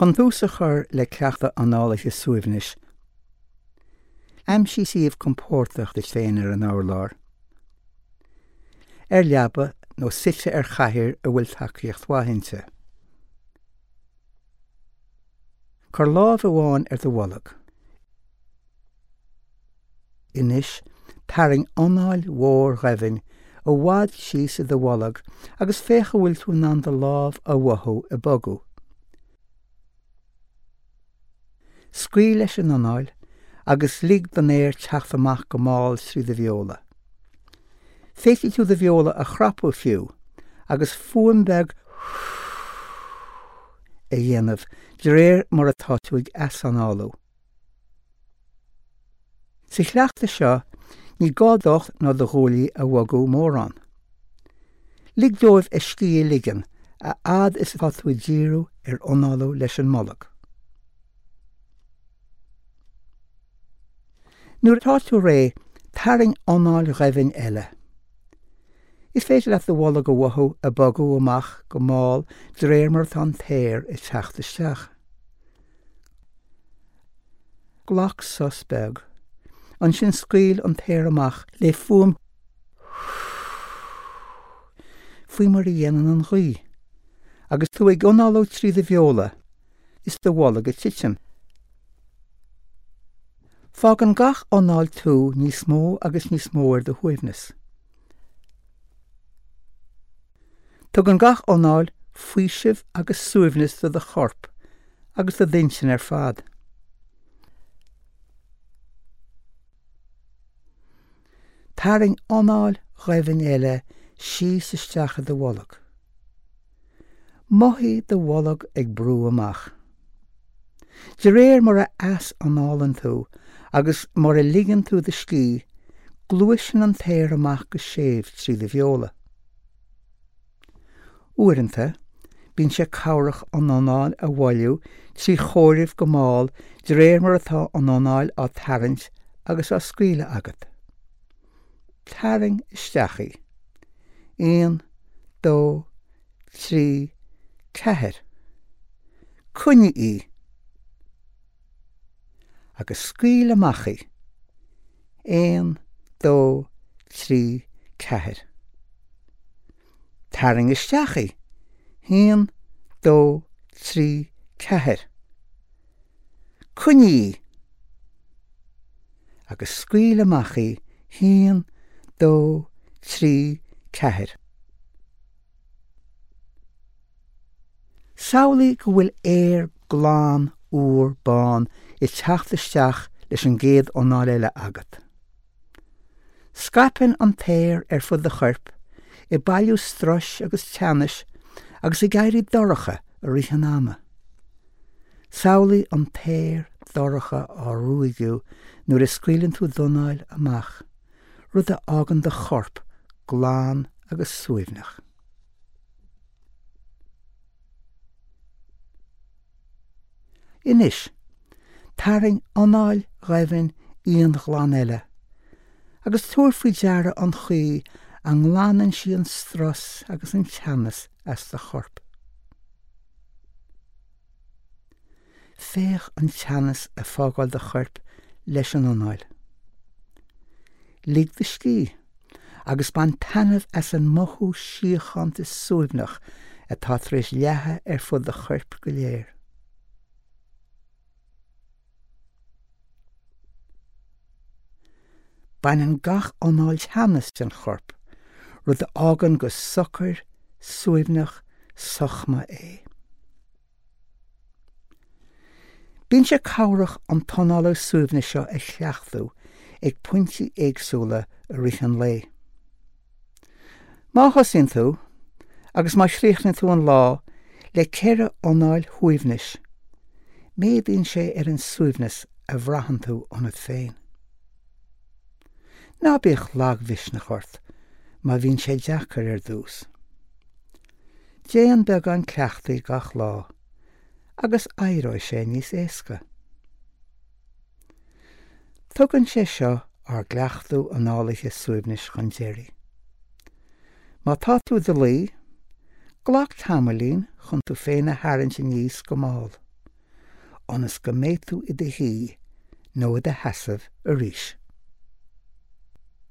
Chun tús a chur le cleachtadh análaithe suaimhnis, aimsigh suíomh compordach duit féin ar an urlár, ar leaba nó suite ar chathaoir a bhfuil tacaíocht mhaith inti. Cuir lámh amháin ar do bholg. Anois, tarraing anáil mhór dhoimhin i bhfad síos i do bholg agus féach an bhfuil tú in ann do lámh a mhothú ag bogadh. Scaoil leis an anáil agus lig don aer teacht amach go mall trí do bheola. Féadfaidh tú do bheola a chrapadh fiú agus fuaim bheag a dhéanamh de réir mar atá tú ag easanálú. Sa chleachtadh seo, ní gá d'ucht ná do ghuaillí a bhogadh mórán. Lig dóibh a scíth a ligean a fhad is atá tú ag díriú ar análú leis an mbolg. Nuair atá tú réidh, tarraing anáil dhoimhin eile. Is féidir leat do bholg a mhothú ag bogadh amach go mall de réir mar atá an t-aer ag teacht isteach. Glac sos beag. Ansin scaoil an t-aer amach le fuaim faoi mar a dhéanann an ghaoth agus tú ag análú trí do bheola is do bholg ag titim. Fágann gach anáil tú níos mó agus níos mó ar do shuaimhneas. Tugann gach anáil faoiseamh agus suaimhneas do do chorp agus do d'intinn ar fad. Tarraing anáil dhoimhin eile síos isteach i do bholg. Mothaigh do bholg ag brú amach. De réir mar a eas-análann tú agus mar a ligeann tú do scíth, gluaiseann an t-aer amach go séimh trí do bheola. Uaireanta, bíonn sé cabhrach an anáil a mhoilliú trí chomhaireamh go mall de réir mar atá an anáil á tarraingt agus á scaoileadh agat. Tarraing isteach í. Aon, dó, trí, ceathair. Coinnigh í. Agus scaoil amach í. Aon, dó, trí, ceathair. Tarraing isteach í. Haon, dó, trí, ceathair. Coinnigh í. Agus scaoil amach í. Haon, dó, trí, ceathair. Samhlaigh go bhfuil aer glan úr bán ag teacht isteach leis an gcéad anáil eile agat. Scaipeann an t-aer ar fud do choirp, ag bailiú struis agus teannais agus ag éirí dorcha i rith an ama. Samhlaigh an t-aer dorcha á ruaigeadh nuair a scaoileann tú d'anáil amach, rud a fhágann do chorp glan agus suaimhneach. Anois, tarraing anáil dhoimhin íonghlan eile, agus tabhair faoi deara an chaoi a nglanann sí an strus agus an teannas as do chorp. Féach an teannas ag fágáil do choirp leis an anáil. Lig do scíth agus bain taitneamh as an mothú síochánta suaimhneach atá tar éis leathadh ar fud do choirp go léir. Baineann gach anáil teannas den chorp, rud a fhágann go socair, suaimhneach, sochma é. Bíonn sé cabhrach an t-análú suaimhnis seo a chleachtadh ag pointí éagsúla i rith an lae. Má thosaíonn tú, agus má chríochnaíonn tú an lá, le 4 anáil shuaimhnis, méadaíonn sé ar an suaimhneas a bhraitheann tú ionat féin. Ná bíodh lagmhisneach ort má bhíonn sé deacair ar dtús. Déan beagán cleachtaidh gach lá agus éireoidh sé níos éasca. Tugann sé seo ár gcleachtadh análaithe suaimhnis chun deiridh. Má tá tú i do luí, glac tamaillín chun tú féin a tharraingt aníos go mall. ionas go mbeidh tú i do shuí nó i do sheasamh arís.